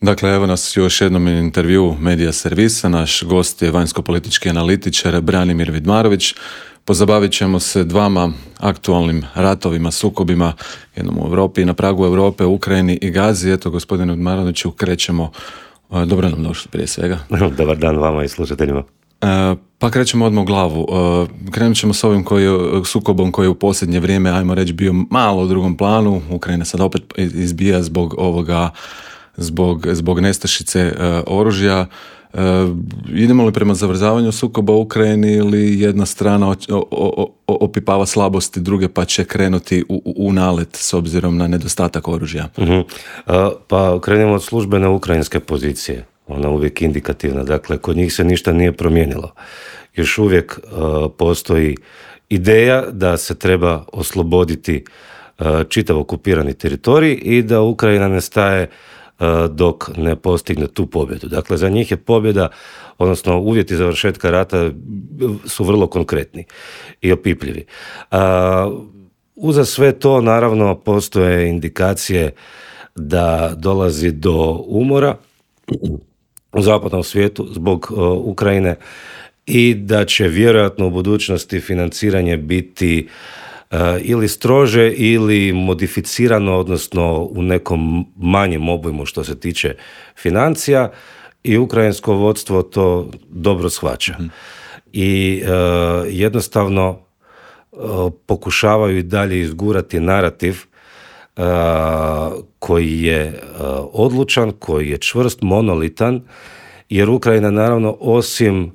Dakle, evo nas još jednom intervju Medija servisa. Naš gost je vanjsko-politički analitičar Branimir Vidmarović. Pozabavit ćemo se dvama aktualnim ratovima, sukobima, jednom u Europi, na pragu Europe, Ukrajini i Gazi. Eto, gospodine Vidmaroviću, krećemo. Dobro nam došli prije svega. Dobar dan vama i slušateljima. Pa krećemo odmah u glavu. Krenut ćemo s ovim sukobom koji je u posljednje vrijeme, ajmo reći, bio malo u drugom planu. Ukrajina sad opet izbija zbog nestašice oružja. Idemo li prema zavrzavanju sukoba u Ukrajini ili jedna strana opipava slabosti druge pa će krenuti u nalet s obzirom na nedostatak oružja? Pa krenemo od službene ukrajinske pozicije. Ona je uvijek indikativna. Dakle, kod njih se ništa nije promijenilo. Još uvijek postoji ideja da se treba osloboditi čitav okupirani teritorij i da Ukrajina ne staje dok ne postigne tu pobjedu. Dakle, za njih je pobjeda, odnosno uvjeti završetka rata su vrlo konkretni i opipljivi. Uza sve to, naravno, postoje indikacije da dolazi do umora u zapadnom svijetu zbog Ukrajine i da će vjerojatno u budućnosti financiranje biti ili strože ili modificirano, odnosno u nekom manjem obujmu što se tiče financija, i ukrajinsko vodstvo to dobro shvaća. I jednostavno pokušavaju i dalje izgurati narativ koji je odlučan, koji je čvrst, monolitan, jer Ukrajina, naravno, osim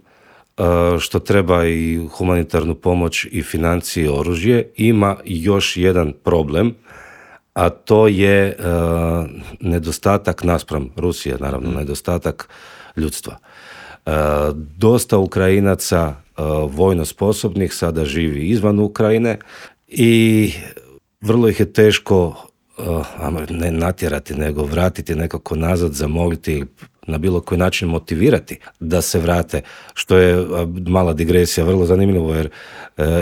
što treba i humanitarnu pomoć i financije i oružje, ima još jedan problem, a to je nedostatak naspram Rusije, naravno, nedostatak ljudstva. Dosta Ukrajinaca vojno sposobnih sada živi izvan Ukrajine i vrlo ih je teško ne natjerati, nego vratiti nekako nazad, zamoliti, na bilo koji način motivirati da se vrate, što je mala digresija, vrlo zanimljivo, jer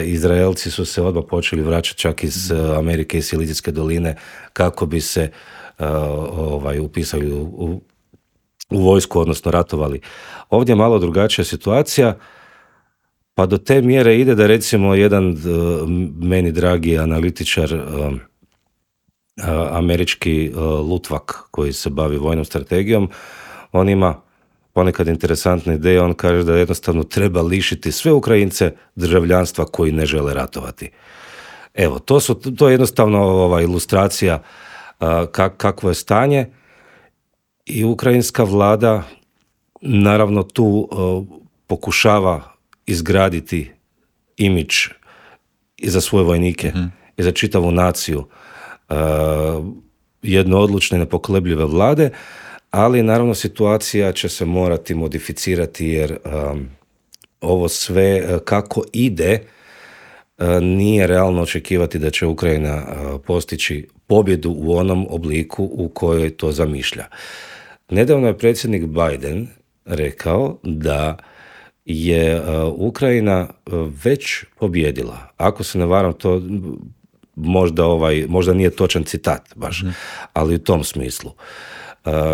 Izraelci su se odmah počeli vraćati čak iz Amerike i Silicijske doline kako bi se upisali u vojsku, odnosno ratovali. Ovdje je malo drugačija situacija, pa do te mjere ide da, recimo, jedan meni dragi analitičar, američki lutvak koji se bavi vojnom strategijom, on ima ponekad interesantne ideje. On kaže da jednostavno treba lišiti sve Ukrajince državljanstva koji ne žele ratovati. Evo, to je jednostavno ilustracija kakvo je stanje, i ukrajinska vlada naravno tu pokušava izgraditi imidž i za svoje vojnike i za čitavu naciju jedne odlučne, nepokolebljive vlade, ali naravno situacija će se morati modificirati, jer ovo sve kako ide, nije realno očekivati da će Ukrajina postići pobjedu u onom obliku u kojoj to zamišlja. Nedavno je predsjednik Biden rekao da je Ukrajina već pobjedila. Ako se ne varam, to možda nije točan citat baš, ali u tom smislu.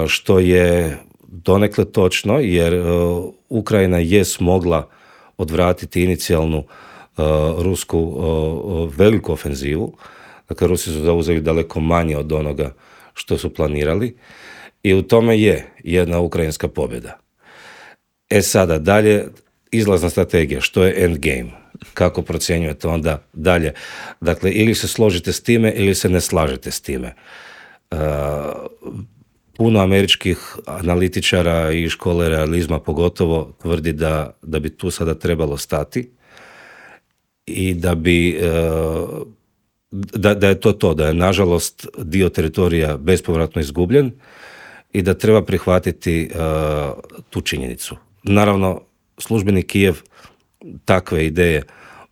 Što je donekle točno, jer Ukrajina je smogla odvratiti inicijalnu rusku veliku ofenzivu. Dakle, Rusi su zauzeli daleko manje od onoga što su planirali i u tome je jedna ukrajinska pobjeda. Sada dalje, izlazna strategija, što je endgame? Kako procjenjujete onda dalje? Dakle, ili se složite s time ili se ne slažete s time. Puno američkih analitičara i škole realizma pogotovo tvrdi da bi tu sada trebalo stati i da bi da je to, da je nažalost dio teritorija bespovratno izgubljen i da treba prihvatiti tu činjenicu. Naravno, službeni Kijev takve ideje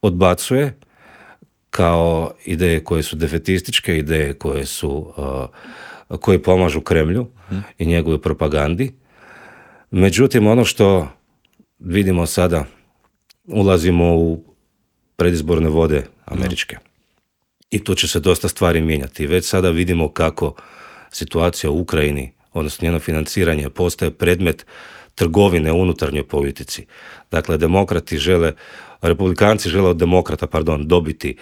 odbacuje kao ideje koje su defetističke, ideje koje pomažu Kremlju i njegovoj propagandi. Međutim, ono što vidimo sada, ulazimo u predizborne vode američke. I tu će se dosta stvari mijenjati. Već sada vidimo kako situacija u Ukrajini odnosno njeno financiranje, postaje predmet trgovine u unutarnjoj politici. Dakle, republikanci žele od demokrata, dobiti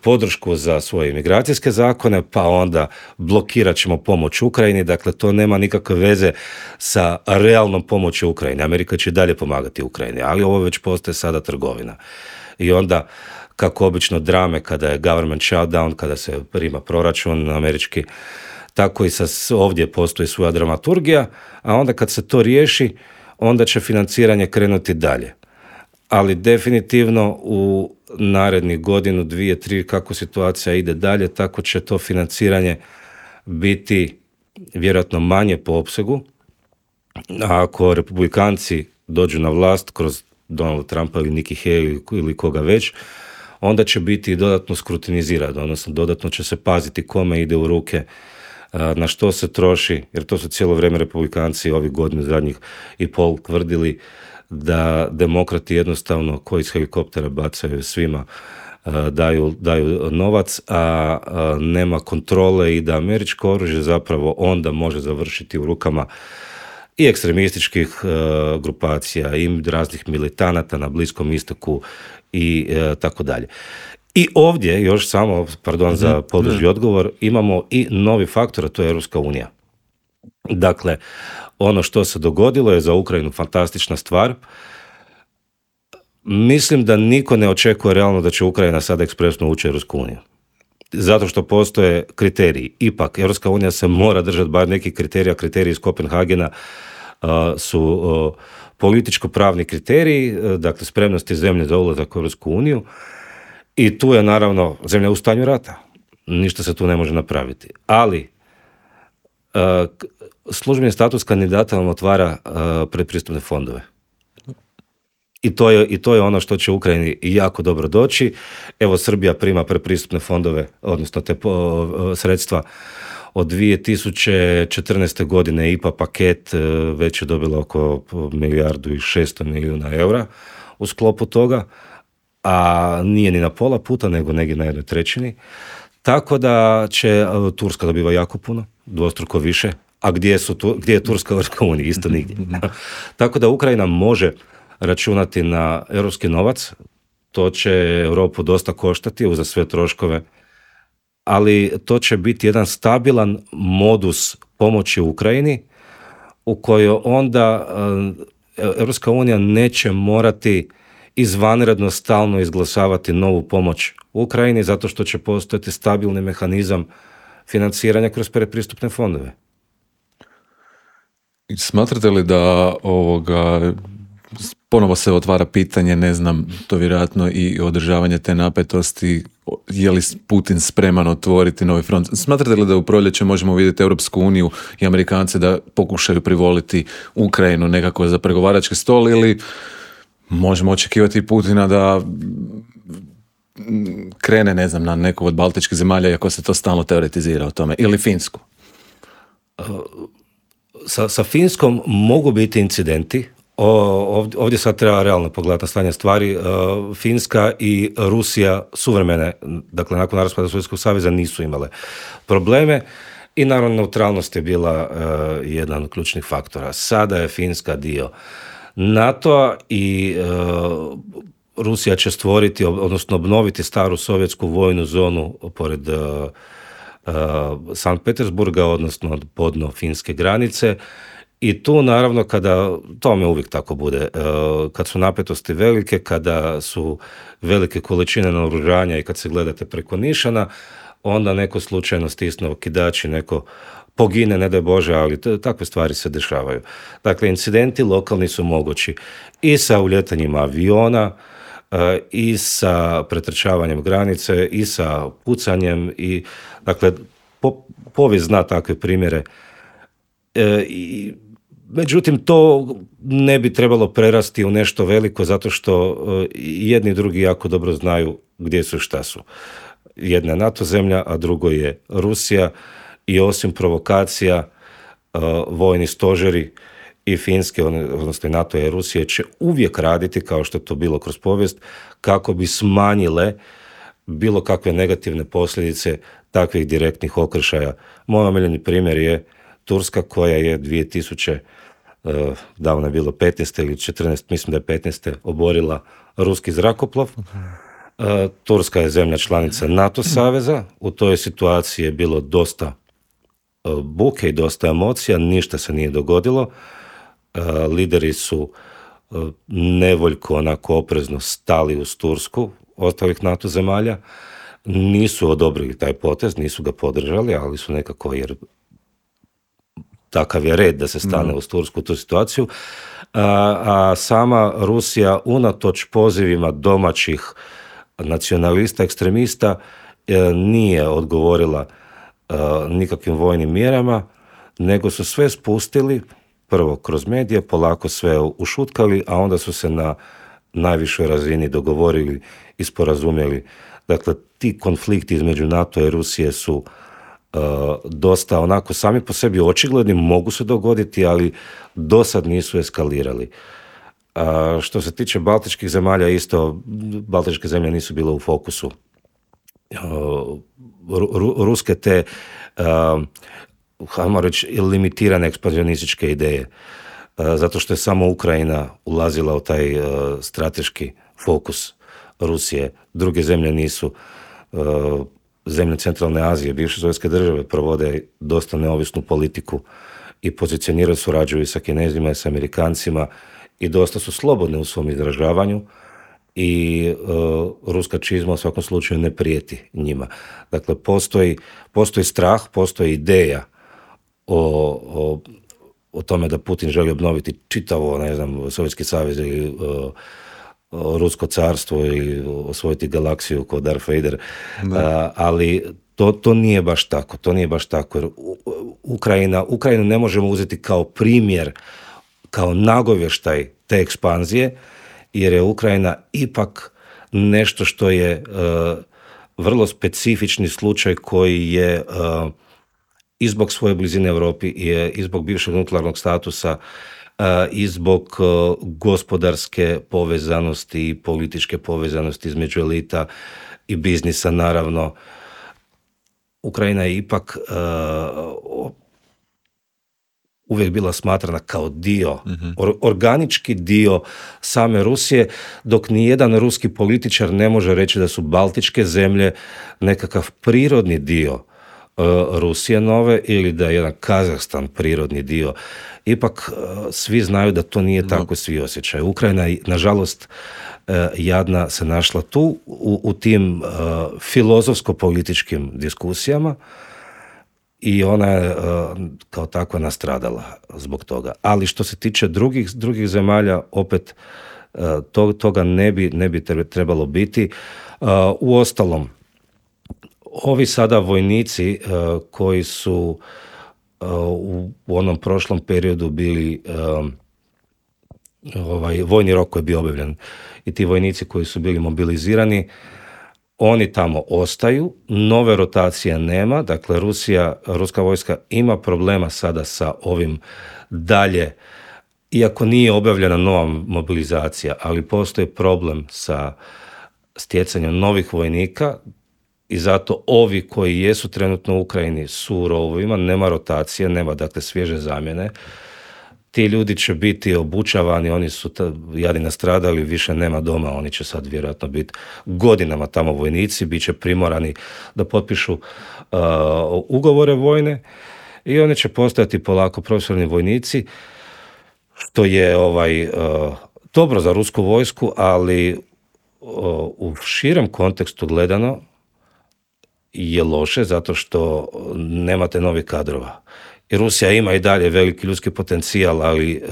podršku za svoje imigracijske zakone, pa onda blokirat ćemo pomoć Ukrajini. Dakle, to nema nikakve veze sa realnom pomoći Ukrajini. Amerika će dalje pomagati Ukrajini, ali ovo već postaje sada trgovina. I onda, kako obično drame kada je government shutdown, kada se prima proračun američki, tako i ovdje postoji svoja dramaturgija, a onda kad se to riješi, onda će financiranje krenuti dalje. Ali definitivno u narednih godinu, 2, 3, kako situacija ide dalje, tako će to financiranje biti vjerojatno manje po opsegu. A ako republikanci dođu na vlast kroz Donald Trumpa ili Nikki Haley ili koga već, onda će biti dodatno skrutinizirano, odnosno dodatno će se paziti kome ide u ruke, na što se troši, jer to su cijelo vrijeme republikanci ovih godina zadnjih i pol tvrdili da demokrati jednostavno koji iz helikoptera bacaju svima, daju novac, a nema kontrole i da američko oružje zapravo onda može završiti u rukama i ekstremističkih grupacija i raznih militanata na Bliskom istoku i tako dalje. I ovdje, još samo, za podružni odgovor, imamo i novi faktor, a to je Europska unija. Dakle, ono što se dogodilo je za Ukrajinu fantastična stvar. Mislim da niko ne očekuje realno da će Ukrajina sada ekspresno ući u Europsku uniju. Zato što postoje kriteriji. Ipak, Europska unija se mora držati bar nekih kriterija. Kriteriji iz Kopenhagena su političko-pravni kriteriji, dakle spremnosti zemlje za ulazak u Europsku uniju. I tu je naravno zemlja u stanju rata. Ništa se tu ne može napraviti. Ali službeni status kandidata vam otvara predpristupne fondove. I to je ono što će Ukrajini jako dobro doći. Evo, Srbija prima predpristupne fondove, odnosno te sredstva od 2014. godine. IPA paket već je dobila oko 1,6 milijardi eura u sklopu toga, a nije ni na pola puta, nego negdje na 1/3. Tako da će Turska dobiva jako puno, dvostruko više. A gdje je Turska u Europskoj uniji? Isto nigdje. Tako da Ukrajina može računati na europski novac. To će Europu dosta koštati uza sve troškove, ali to će biti jedan stabilan modus pomoći Ukrajini u kojoj onda Europska unija neće morati izvanredno stalno izglasavati novu pomoć Ukrajini, zato što će postojati stabilni mehanizam financiranja kroz predpristupne fondove. Smatrate li da ponovo se otvara pitanje, ne znam, to vjerojatno i održavanje te napetosti, je li Putin spreman otvoriti novi front? Smatrate li da u proljeće možemo vidjeti Europsku uniju i Amerikance da pokušaju privoliti Ukrajinu nekako za pregovarački stol, ili možemo očekivati Putina da krene, ne znam, na neku od baltičkih zemalja, iako se to stalno teoretizira o tome, ili Finsku? Sa Finskom mogu biti incidenti. Ovdje sad treba realno pogledati na stanje stvari. Finska i Rusija suvremene, dakle nakon raspada Sovjetskog saveza, nisu imale probleme i naravno neutralnost je bila jedan od ključnih faktora. Sada je Finska dio NATO-a i Rusija će stvoriti, odnosno obnoviti staru sovjetsku vojnu zonu pored Sankt Petersburga, odnosno podno finske granice. I tu naravno tome uvijek tako bude, kad su napetosti velike, kada su velike količine naoružanja i kad se gledate preko nišana, onda neko slučajno stisne okidač i neko pogine, ne daj Bože, ali takve stvari se dešavaju. Dakle, incidenti lokalni su mogući i sa uljetanjima aviona, i sa pretrčavanjem granice, i sa pucanjem, i dakle, povijest zna takve primjere. Međutim, to ne bi trebalo prerasti u nešto veliko, zato što jedni i drugi jako dobro znaju gdje su i šta su. Jedna je NATO zemlja, a drugo je Rusija, i osim provokacija, vojni stožeri i Finske, odnosno i NATO i Rusije, će uvijek raditi, kao što je to bilo kroz povijest, kako bi smanjile bilo kakve negativne posljedice takvih direktnih okršaja. Moj omiljeni primjer je Turska koja je 2000, davno je bilo 15. ili 14, mislim da je 15. oborila ruski zrakoplov. Turska je zemlja članica NATO saveza, u toj situaciji je bilo dosta buke i dosta emocija, ništa se nije dogodilo. Lideri su nevoljko, onako oprezno stali uz Tursku, ostalih NATO zemalja, nisu odobrili taj potez, nisu ga podržali, ali su nekako, jer takav je red da se stane uz Tursku u tu situaciju, a sama Rusija unatoč pozivima domaćih nacionalista, ekstremista, nije odgovorila nikakvim vojnim mjerama, nego su sve spustili, prvo kroz medije, polako sve ušutkali, a onda su se na najvišoj razini dogovorili i sporazumjeli. Dakle, ti konflikti između NATO i Rusije su dosta onako sami po sebi očigledni, mogu se dogoditi, ali do sad nisu eskalirali. Što se tiče baltičkih zemalja, isto, baltičke zemlje nisu bile u fokusu ruske te, hajmo reći, limitirane ekspanzionističke ideje, zato što je samo Ukrajina ulazila u taj strateški fokus Rusije. Druge zemlje nisu. Zemlje Centralne Azije, bivše sovjetske države, provode dosta neovisnu politiku i pozicioniraju, surađuju sa Kinezima i sa Amerikancima i dosta su slobodne u svom izražavanju i ruska čizma u svakom slučaju ne prijeti njima. Dakle, postoji strah, postoji ideja o tome da Putin želi obnoviti čitavo, ne znam, Sovjetski savez ili Rusko carstvo ili osvojiti galaksiju kao Darth Vader, ali to nije baš tako. To nije baš tako, jer Ukrajinu ne možemo uzeti kao primjer, kao nagovještaj te ekspanzije, jer je Ukrajina ipak nešto što je vrlo specifični slučaj koji je i zbog svoje blizine Europi i zbog bivšeg nuklearnog statusa i zbog gospodarske povezanosti i političke povezanosti između elita i biznisa, naravno. Ukrajina je ipak uvijek bila smatrana kao dio, organički dio same Rusije, dok nijedan ruski političar ne može reći da su baltičke zemlje nekakav prirodni dio Rusije nove ili da je jedan Kazahstan prirodni dio. Ipak svi znaju da to nije tako, svi osjećaju. Ukrajina, nažalost, jadna se našla tu u tim filozofsko-političkim diskusijama i ona je kao takva nastradala zbog toga. Ali što se tiče drugih zemalja, opet toga ne bi trebalo biti. Uostalom, ovi sada vojnici koji su u onom prošlom periodu bili, vojni rok koji je bio objavljen, i ti vojnici koji su bili mobilizirani, oni tamo ostaju, nove rotacije nema, dakle ruska vojska ima problema sada sa ovim dalje, iako nije objavljena nova mobilizacija, ali postoji problem sa stjecanjem novih vojnika i zato ovi koji jesu trenutno u Ukrajini su u rovovima, nema rotacije, nema dakle svježe zamjene. Ti ljudi će biti obučavani, oni su jadi nastradali, više nema doma, oni će sad vjerojatno biti godinama tamo vojnici, bit će primorani da potpišu ugovore vojne i oni će postajati polako profesionalni vojnici, što je dobro za rusku vojsku, ali u širem kontekstu gledano je loše zato što nemate novih kadrova. I Rusija ima i dalje veliki ljudski potencijal, ali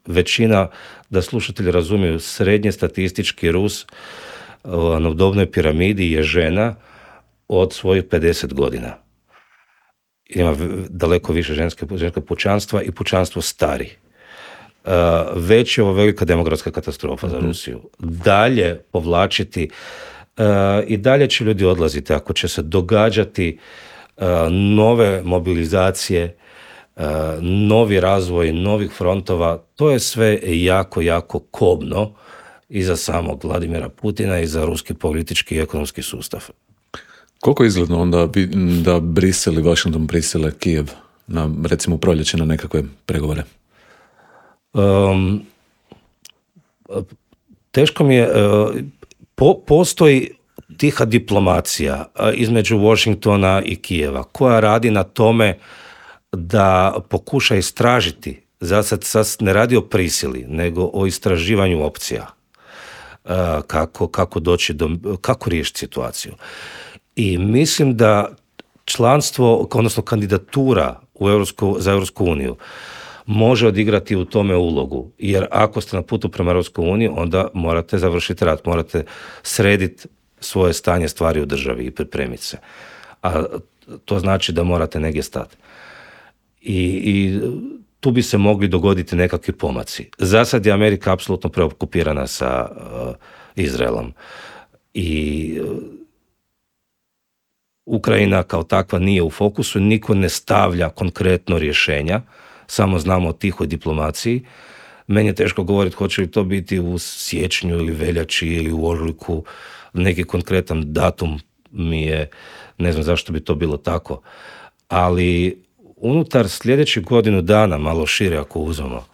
većina, da slušatelji razumiju, srednje statistički Rus na dobnoj piramidi je žena od svojih 50 godina. Ima daleko više ženskog pučanstva i pučanstvo stari. Već je ovo velika demografska katastrofa za Rusiju. Dalje povlačiti i dalje će ljudi odlaziti ako će se događati nove mobilizacije, novi razvoj novih frontova. To je sve jako, jako kobno i za samog Vladimira Putina i za ruski politički i ekonomski sustav. Koliko je izgledno onda da Brisel i Washington prisile Kijev recimo u proljeće na nekakve pregovore? Teško mi je, postoji tiha diplomacija između Washingtona i Kijeva koja radi na tome da pokuša istražiti, sad ne radi o prisili, nego o istraživanju opcija. Kako riješiti situaciju. I mislim da članstvo, odnosno kandidatura za Europsku uniju može odigrati u tome ulogu, jer ako ste na putu prema Europskoj uniji, onda morate završiti rat, morate srediti svoje stanje stvari u državi i pripremiti se. A to znači da morate negdje stati. I tu bi se mogli dogoditi nekakvi pomaci. Za sad je Amerika apsolutno preokupirana sa Izraelom. I Ukrajina kao takva nije u fokusu, niko ne stavlja konkretno rješenja, samo znamo o tihoj diplomaciji. Meni je teško govoriti hoće li to biti u siječnju ili veljači ili u ožujku. Neki konkretan datum mi je, ne znam zašto bi to bilo tako, ali unutar sljedećih godinu dana, malo šire ako uzmemo,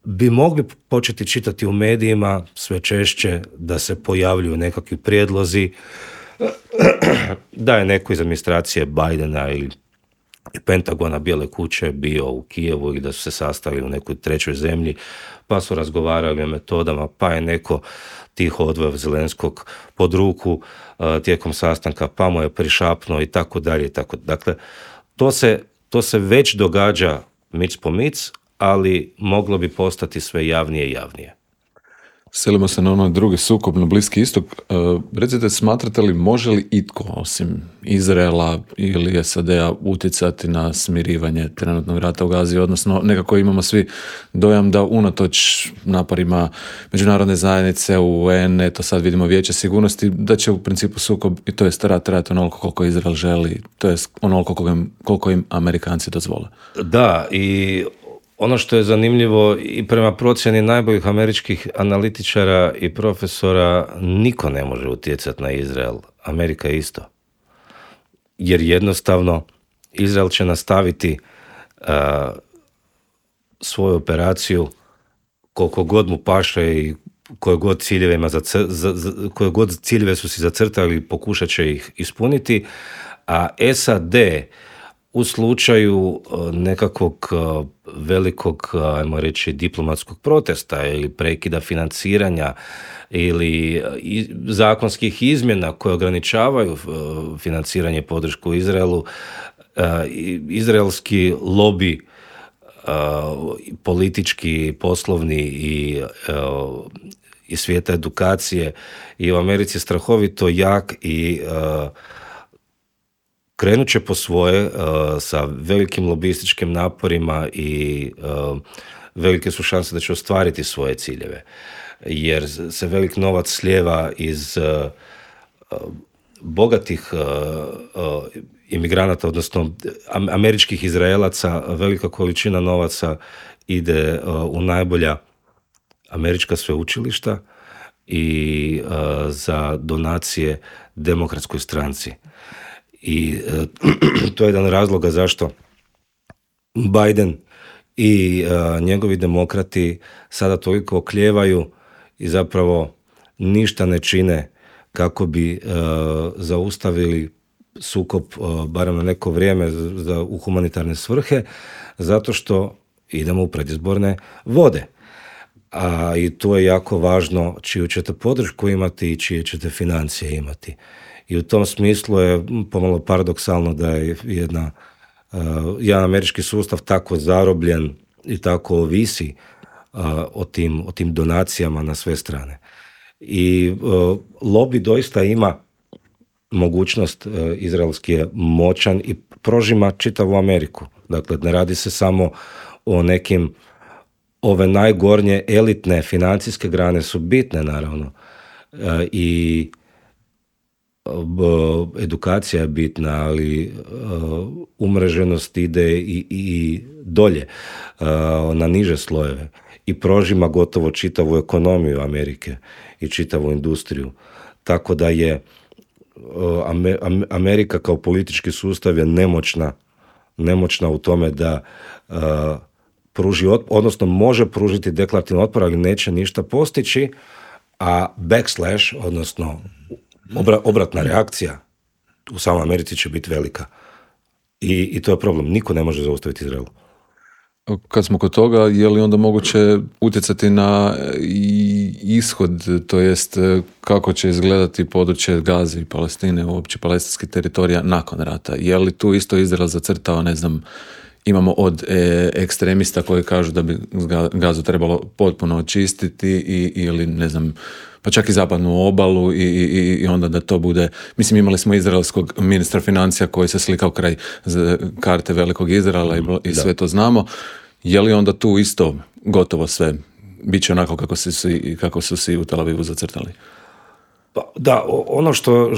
bi mogli početi čitati u medijima sve češće da se pojavljuju nekakvi prijedlozi da je neko iz administracije Bidena ili Pentagona, Bijele kuće bio u Kijevu i da su se sastali u nekoj trećoj zemlji, pa su razgovarali o metodama, pa je neko tiho odveo Zelenskog pod ruku tijekom sastanka, pa mu je prišapnuo i tako dalje. Dakle, to se već događa mic po mic, ali moglo bi postati sve javnije i javnije. Selimo se na onoj drugi sukob na Bliski istok. Recite, smatrate li može li itko osim Izraela ili SAD-a utjecati na smirivanje trenutnog rata u Gazi, odnosno nekako imamo svi dojam da unatoč naporima međunarodne zajednice, UN, eto sad vidimo Vijeće sigurnosti, da će u principu sukob, to jest rat onoliko koliko Izrael želi, to jest onoliko koliko im Amerikanci dozvole. Da, i ono što je zanimljivo i prema procjeni najboljih američkih analitičara i profesora, niko ne može utjecati na Izrael. Amerika isto. Jer jednostavno Izrael će nastaviti svoju operaciju koliko god mu paše i koje god ciljeve su si zacrtali, pokušat će ih ispuniti, a SAD u slučaju nekakvog velikog, ajmo reći, diplomatskog protesta ili prekida financiranja ili zakonskih izmjena koje ograničavaju financiranje i podršku Izraelu, izraelski lobi, politički, poslovni i svijeta edukacije i u Americi strahovito jak i krenut će po svoje sa velikim lobističkim naporima i velike su šanse da će ostvariti svoje ciljeve. Jer se velik novac slijeva iz bogatih imigranata, odnosno američkih Izraelaca, velika količina novaca ide u najbolja američka sveučilišta i za donacije demokratskoj stranci. I to je jedan razloga zašto Biden i njegovi demokrati sada toliko oklijevaju i zapravo ništa ne čine kako bi zaustavili sukob barem na neko vrijeme u humanitarne svrhe, zato što idemo u predizborne vode. I to je jako važno čiju ćete podršku imati i čije ćete financije imati. I u tom smislu je pomalo paradoksalno da je jedan američki sustav tako zarobljen i tako ovisi o tim donacijama na sve strane. I lobby doista ima mogućnost, izraelski je moćan i prožima čitavu Ameriku. Dakle, ne radi se samo o nekim, ove najgornje elitne financijske grane su bitne naravno i edukacija je bitna, ali umreženost ide i dolje na niže slojeve i prožima gotovo čitavu ekonomiju Amerike i čitavu industriju. Tako da je Amerika kao politički sustav je nemoćna nemoćna u tome da pruži odnosno može pružiti deklarativni otpor, ali neće ništa postići, a backslash, odnosno obratna reakcija u samoj Americi će biti velika. I to je problem. Niko ne može zaustaviti Izrael. Kad smo kod toga, je li onda moguće utjecati na ishod, to jest kako će izgledati područje Gaze i Palestine, uopće palestinskih teritorija nakon rata? Je li tu isto Izrael zacrtao, ne znam, imamo od ekstremista koji kažu da bi Gazu trebalo potpuno očistiti ili ne znam, pa čak i zapadnu obalu i onda da to bude, mislim imali smo izraelskog ministra financija koji se slikao kraj karte velikog Izraela i sve to znamo. Je li onda tu isto gotovo sve biće onako kako su si u Tel Avivu zacrtali? Pa, da, ono što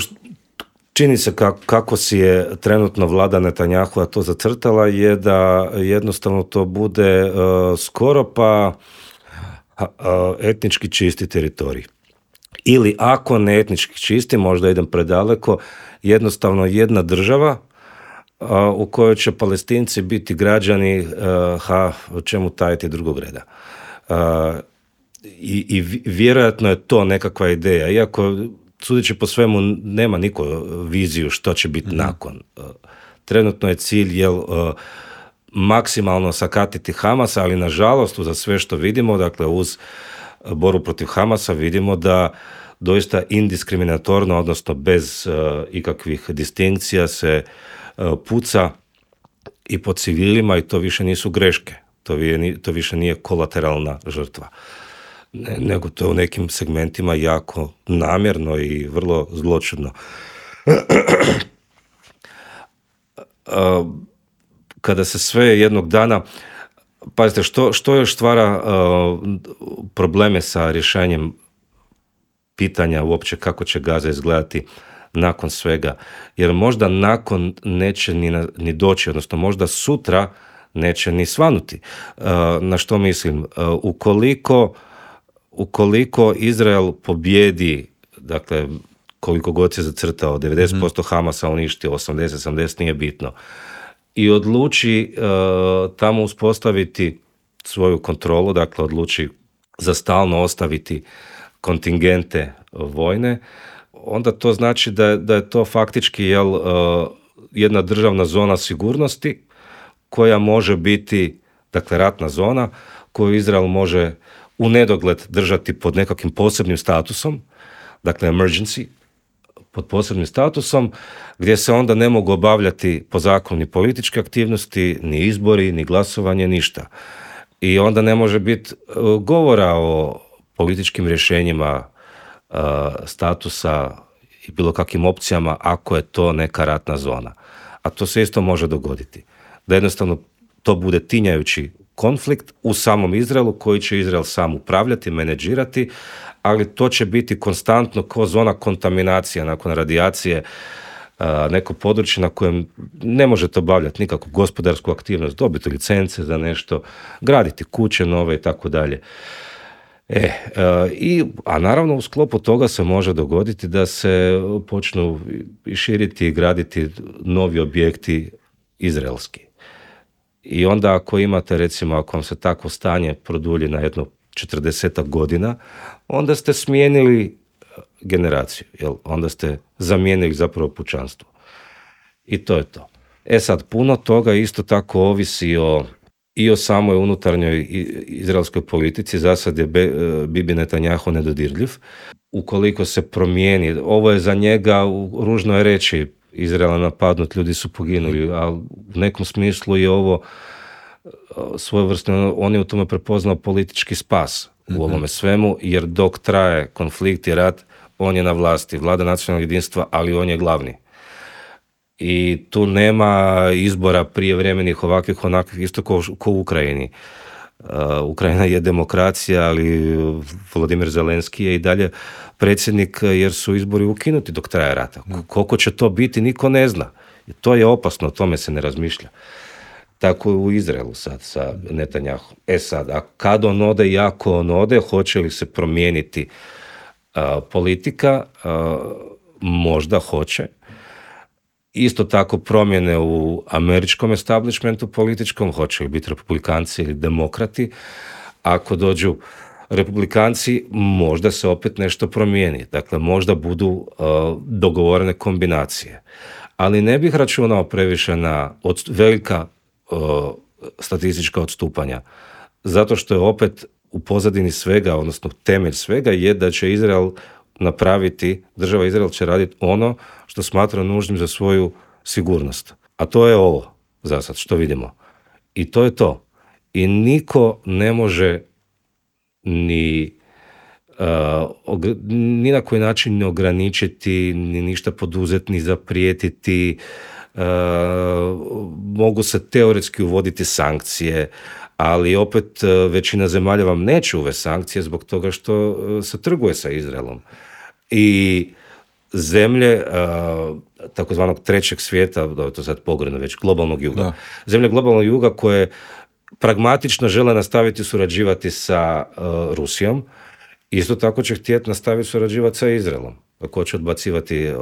čini se kako si je trenutno vlada Netanjahua to zacrtala je da jednostavno to bude skoro pa etnički čisti teritorij. Ili ako ne etnički čisti, možda idem predaleko, jednostavno jedna država u kojoj će Palestinci biti građani, o čemu tajiti drugog reda. I vjerojatno je to nekakva ideja, iako sudeći po svemu nema niko viziju što će biti nakon. Trenutno je cilj maksimalno sakatiti Hamasa, ali nažalost za sve što vidimo, dakle uz borbu protiv Hamasa vidimo da doista indiskriminatorno, odnosno bez ikakvih distinkcija se puca i po civilima i to više nisu greške, to više nije kolateralna žrtva, nego to je u nekim segmentima jako namjerno i vrlo zločudno. Kada se sve jednog dana, pazite, što još stvara probleme sa rješenjem pitanja uopće kako će Gaza izgledati nakon svega, jer možda nakon neće ni doći, odnosno možda sutra neće ni svanuti. Na što mislim? Ukoliko Izrael pobjedi, dakle, koliko god se zacrtao, 90% Hamasa uništio, 80 nije bitno, i odluči tamo uspostaviti svoju kontrolu, dakle odluči za stalno ostaviti kontingente vojne, onda to znači da je to faktički jedna državna zona sigurnosti koja može biti, dakle ratna zona, koju Izrael može u nedogled držati pod nekakvim posebnim statusom, dakle emergency, pod posebnim statusom, gdje se onda ne mogu obavljati po zakonu ni političke aktivnosti, ni izbori, ni glasovanje, ništa. I onda ne može biti govora o političkim rješenjima statusa i bilo kakvim opcijama ako je to neka ratna zona. A to se isto može dogoditi. Da jednostavno to bude tinjajući konflikt u samom Izraelu koji će Izrael sam upravljati, menedžirati, ali to će biti konstantno kao zona kontaminacija nakon radijacije, neko područje na kojem ne možete obavljati nikakvu gospodarsku aktivnost, dobiti licence za nešto, graditi kuće nove i tako dalje. A naravno u sklopu toga se može dogoditi da se počnu širiti i graditi novi objekti izraelski. I onda ako imate, recimo, ako vam se takvo stanje produlji na jedno 40 godina, onda ste smijenili generaciju, onda ste zamijenili zapravo pučanstvo. I to je to. Sad, puno toga isto tako ovisi i o samoj unutarnjoj izraelskoj politici. Za sad je Bibi Netanjahu nedodirljiv. Ukoliko se promijeni, ovo je za njega, ružno je reći, Izrael je napadnut, ljudi su poginuli, ali u nekom smislu je ovo svojevrsno, on je u tome prepoznao politički spas u ovome svemu, jer dok traje konflikt i rat, on je na vlasti, vlada nacionalnog jedinstva, ali on je glavni. I tu nema izbora prijevremenih ovakvih, onakvih, isto kao u Ukrajini. Ukrajina je demokracija, ali Volodimir Zelenski je i dalje predsjednik, jer su izbori ukinuti dok traje rata. Koliko će to biti, niko ne zna. I to je opasno, o tome se ne razmišlja. Tako je u Izraelu sad sa Netanjahom. Sad, a kad on ode i ako on ode, hoće li se promijeniti politika? Možda hoće. Isto tako promjene u američkom establishmentu političkom, hoće li biti republikanci ili demokrati. Ako dođu republikanci, možda se opet nešto promijeni. Dakle, možda budu dogovorene kombinacije. Ali ne bih računao previše na velika statistička odstupanja. Zato što je opet u pozadini svega, odnosno temelj svega je da će Izrael napraviti, država Izrael će raditi ono što smatra nužnim za svoju sigurnost. A to je ovo, za sad, što vidimo. I to je to. I niko ne može ni na koji način ne ograničiti, ni ništa poduzeti, ni zaprijetiti. Mogu se teoretski uvoditi sankcije, ali opet većina zemalja vam neće uvesti sankcije zbog toga što se trguje sa Izraelom. I zemlje takozvanog trećeg svijeta, da je to sad pogredno već, globalnog juga. Da. Zemlje globalnog juga koje pragmatično žele nastaviti surađivati sa Rusijom, isto tako će htjeti nastaviti surađivati sa Izraelom. Ako će odbacivati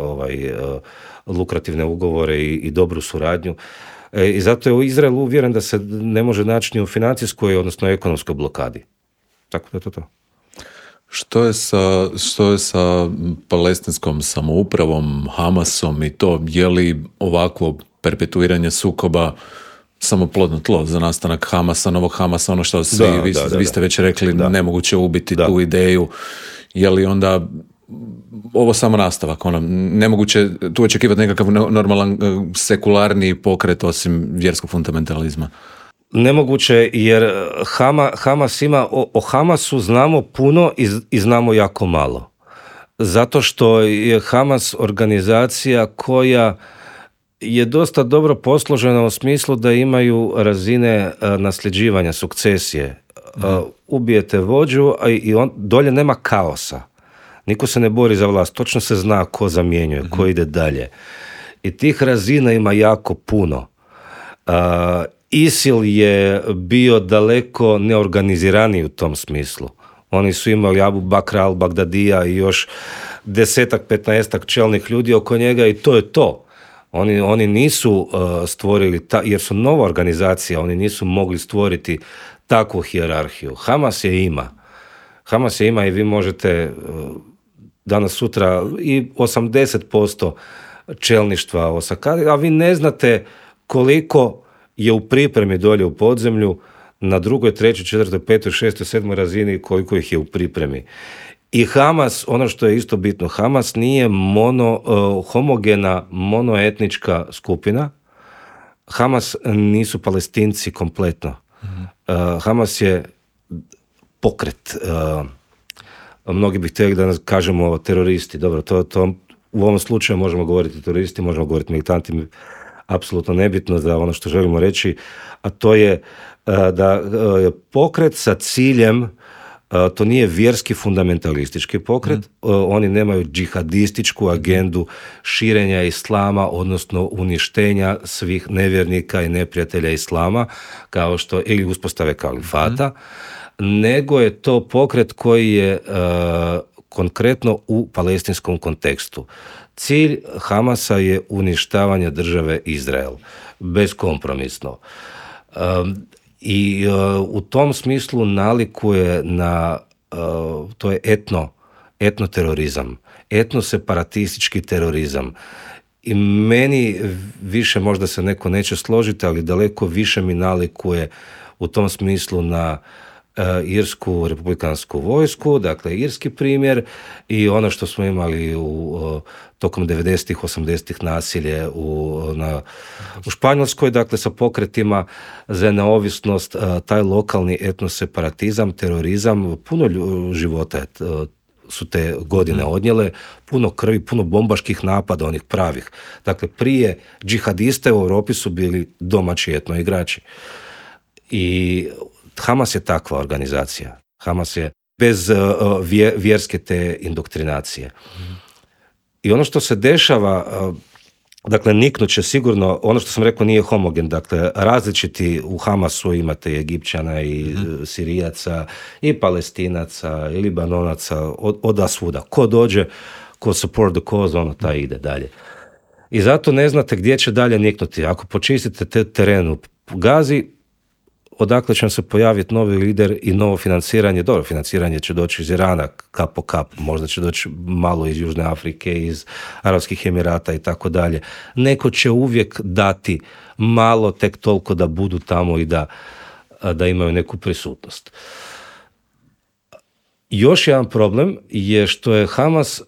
lukrativne ugovore i dobru suradnju. I zato je u Izraelu uvjeren da se ne može naći ni u financijskoj, odnosno ekonomskoj blokadi. Tako da je to. Što je sa palestinskom samoupravom, Hamasom i to? Je li ovakvo perpetuiranje sukoba samo plodno tlo za nastanak Hamasa, novog Hamasa, ono što vi ste već rekli, nemoguće ubiti tu ideju? Je li onda ovo samo nastavak? Nemoguće tu očekivati nekakav normalan sekularni pokret osim vjerskog fundamentalizma? Nemoguće, jer Hamas ima, o Hamasu znamo puno i znamo jako malo. Zato što je Hamas organizacija koja je dosta dobro posložena u smislu da imaju razine nasljeđivanja, sukcesije. Ubijete vođu i dolje nema kaosa. Niko se ne bori za vlast, točno se zna ko zamjenjuje, ko ide dalje. I tih razina ima jako puno. ISIL je bio daleko neorganiziraniji u tom smislu. Oni su imali Abu Bakra al-Bagdadija i još 10-15 čelnih ljudi oko njega i to je to. Oni nisu stvorili, jer su nova organizacija, oni nisu mogli stvoriti takvu hijerarhiju. Hamas je ima i vi možete danas sutra i 80% čelništva osakati, a vi ne znate koliko je u pripremi dolje u podzemlju na 2., 3., 4., 5., 6., 7. razini, koliko ih je u pripremi. I Hamas, ono što je isto bitno, Hamas nije homogena, monoetnička skupina. Hamas nisu Palestinci kompletno. Hamas je pokret. Mnogi bi htjeli da kažemo teroristi. Dobro, to u ovom slučaju možemo govoriti teroristi, možemo govoriti militanti, apsolutno nebitno za ono što želimo reći, a to je da je pokret sa ciljem, to nije vjerski fundamentalistički pokret, oni nemaju džihadističku agendu širenja islama, odnosno uništenja svih nevjernika i neprijatelja islama, kao što ili uspostave kalifata, nego je to pokret koji je konkretno u palestinskom kontekstu. Cilj Hamasa je uništavanje države Izrael, beskompromisno. I u tom smislu nalikuje na, to je etnoterorizam, etnoseparatistički terorizam. I meni više, možda se neko neće složiti, ali daleko više mi nalikuje u tom smislu na irsku republikansku vojsku, dakle irski primjer i ono što smo imali tokom 90-ih, 80-ih nasilje u Španjolskoj, dakle sa pokretima za neovisnost, taj lokalni etnoseparatizam, terorizam, puno života su te godine odnijele, puno krvi, puno bombaških napada, onih pravih. Dakle, prije džihadiste u Europi su bili domaći etno igrači. I Hamas je takva organizacija. Hamas je bez vjerske te indoktrinacije. I ono što se dešava, dakle, niknut će sigurno, ono što sam rekao nije homogen, dakle, različiti u Hamasu imate i Egipćana i Sirijaca i Palestinaca i Libanonaca, od svuda. Ko dođe, ko support the cause, ono taj ide dalje. I zato ne znate gdje će dalje niknuti. Ako počistite teren u Gazi, odakle će se pojaviti novi lider i novo financiranje. Dobro, financiranje će doći iz Irana, kap po kap, možda će doći malo iz Južne Afrike, iz Arapskih Emirata i tako dalje. Neko će uvijek dati malo, tek toliko da budu tamo i da imaju neku prisutnost. Još jedan problem je što je Hamas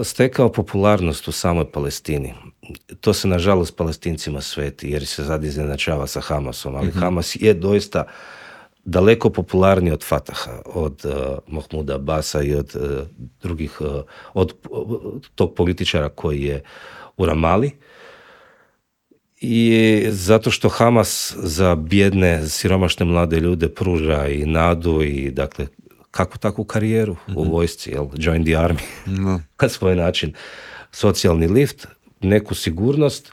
stekao popularnost u samoj Palestini. To se nažalost Palestincima sveti jer se sad iznenačava sa Hamasom, ali Hamas je doista daleko popularniji od Fataha, od Mahmuda Abasa i od drugih, od tog političara koji je u Ramali. I zato što Hamas za bijedne, siromašne mlade ljude pruža i nadu i dakle kako takvu karijeru u vojsci, join the army, na svoj način, socijalni lift, neku sigurnost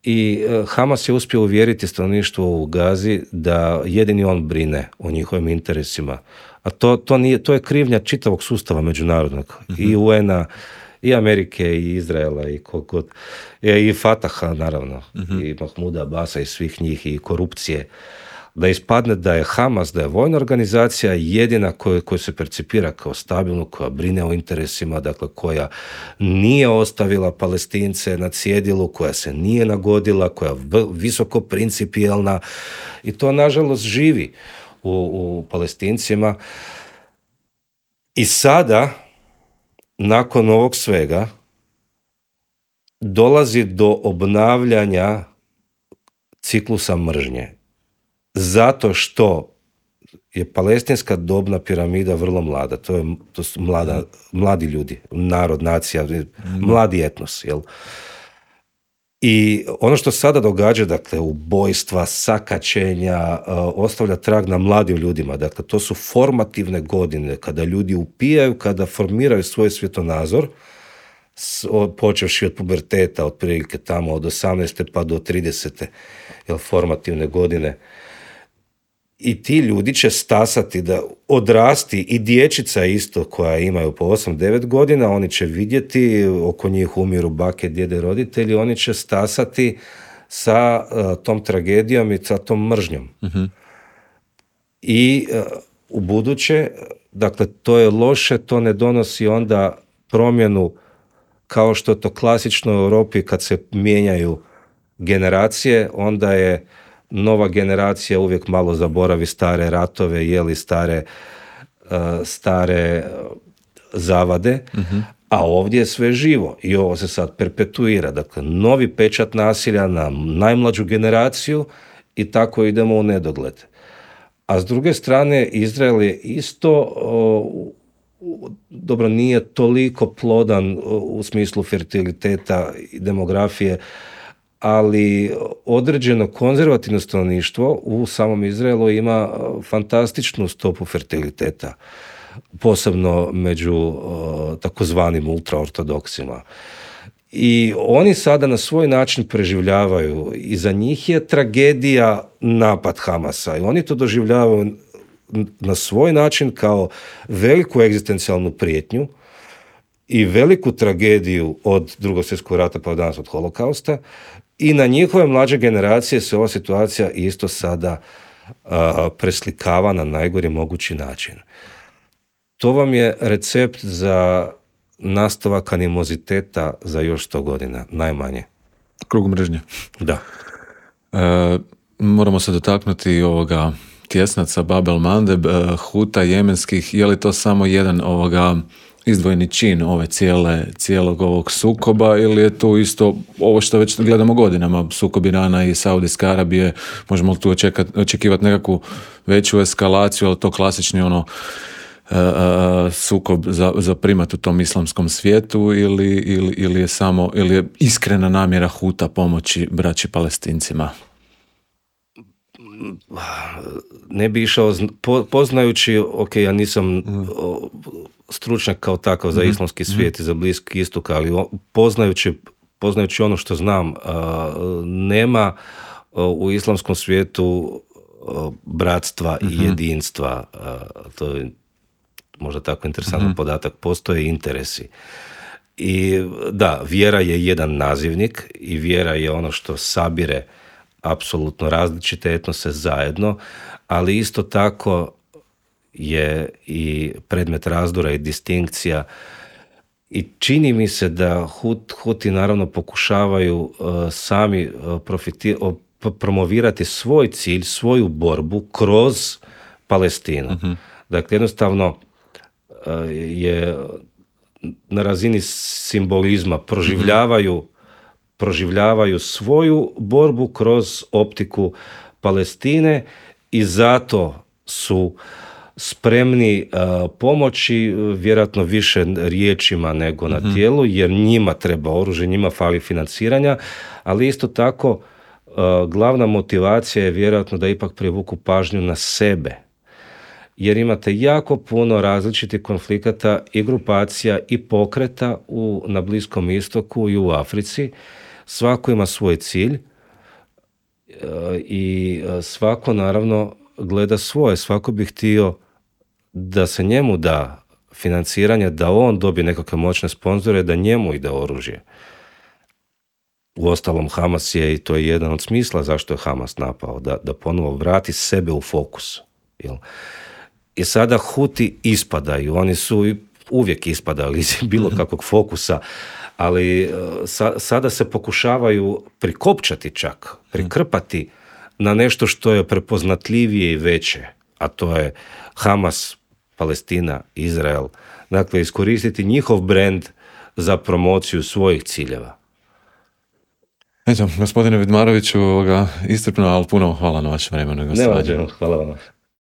i Hamas je uspio uvjeriti stanovništvo u Gazi da jedini on brine o njihovim interesima. A to je krivnja čitavog sustava međunarodnog, i UN-a, i Amerike, i Izraela, i kogod, i Fataha, naravno, i Mahmuda Abasa i svih njih, i korupcije. Da ispadne da je Hamas, da je vojna organizacija jedina koja se percipira kao stabilnu, koja brine o interesima, dakle koja nije ostavila Palestince na cjedilu, koja se nije nagodila, koja je visoko principijelna i to nažalost živi u Palestincima. I sada, nakon ovog svega, dolazi do obnavljanja ciklusa mržnje. Zato što je palestinska dobna piramida vrlo mlada. To su mladi ljudi, narod, nacija, mladi etnos. Jel? I ono što sada događa, dakle, ubojstva, sakaćenja, ostavlja trag na mladim ljudima. Dakle, to su formativne godine, kada ljudi upijaju, kada formiraju svoj svjetonazor, počevši od puberteta, otprilike tamo od 18. pa do 30. Jel, formativne godine. I ti ljudi će stasati da odrasti, i dječica isto koja imaju po 8-9 godina, oni će vidjeti, oko njih umiru bake, djede, roditelji, oni će stasati sa tom tragedijom i sa tom mržnjom. I u buduće, dakle, to je loše, to ne donosi onda promjenu kao što je to klasično u Europi kad se mijenjaju generacije, onda je nova generacija uvijek malo zaboravi stare ratove, jeli stare zavade, a ovdje je sve živo i ovo se sad perpetuira. Dakle, novi pečat nasilja na najmlađu generaciju i tako idemo u nedogled. A s druge strane, Izrael je isto, dobro, nije toliko plodan u smislu fertiliteta i demografije, ali određeno konzervativno stanovništvo u samom Izraelu ima fantastičnu stopu fertiliteta, posebno među takozvanim ultraortodoksima. I oni sada na svoj način preživljavaju i za njih je tragedija napad Hamasa i oni to doživljavaju na svoj način kao veliku egzistencijalnu prijetnju i veliku tragediju od Drugog svjetskog rata pa danas od Holokausta. I na njihove mlađe generacije se ova situacija isto sada preslikava na najgori mogući način. To vam je recept za nastavak animoziteta za još 100 godina, najmanje. Krug mržnje. Da. Moramo se dotaknuti ovoga tjesnaca Bab el-Mandeb, Huta jemenskih. Je li to samo jedan izdvojeni čin cijelog ovog sukoba ili je tu isto ovo što već gledamo godinama, sukob Irana i Saudijske Arabije, možemo li tu očekivati nekakvu veću eskalaciju, ali to klasični sukob za primat u tom islamskom svijetu ili je iskrena namjera Huta pomoći braći Palestincima? Ne bi išao, poznajući, ja nisam stručnjak kao takav za islamski svijet i za Bliski istok, ali poznajući ono što znam, nema u islamskom svijetu bratstva i jedinstva. To je možda tako interesantan podatak. Postoje interesi. I da, vjera je jedan nazivnik i vjera je ono što sabire apsolutno različite etnose zajedno, ali isto tako je i predmet razdora i distinkcija. I čini mi se da Huti naravno pokušavaju sami promovirati svoj cilj, svoju borbu kroz Palestinu. Dakle, jednostavno je na razini simbolizma proživljavaju svoju borbu kroz optiku Palestine i zato su spremni pomoći vjerojatno više riječima nego na tijelu, jer njima treba oružje, njima fali financiranja, ali isto tako glavna motivacija je vjerojatno da ipak privuku pažnju na sebe. Jer imate jako puno različitih konflikata i grupacija i pokreta na Bliskom istoku i u Africi. Svako ima svoj cilj i svako naravno gleda svoje. Svako bi htio da se njemu da financiranje, da on dobije nekakve moćne sponzore, da njemu ide oružje. Uostalom, Hamas je, i to je jedan od smisla zašto je Hamas napao, da ponovo vrati sebe u fokus. Jel? I sada Huti ispadaju, oni su uvijek ispadali iz bilo kakvog fokusa, ali sada se pokušavaju prikopčati čak, prikrpati na nešto što je prepoznatljivije i veće, a to je Hamas, Palestina, Izrael. Dakle, iskoristiti njihov brend za promociju svojih ciljeva. Eto, gospodine Vidmaroviću, iscrpno, ali puno hvala na vašem vremenu. Ne, hvala vam.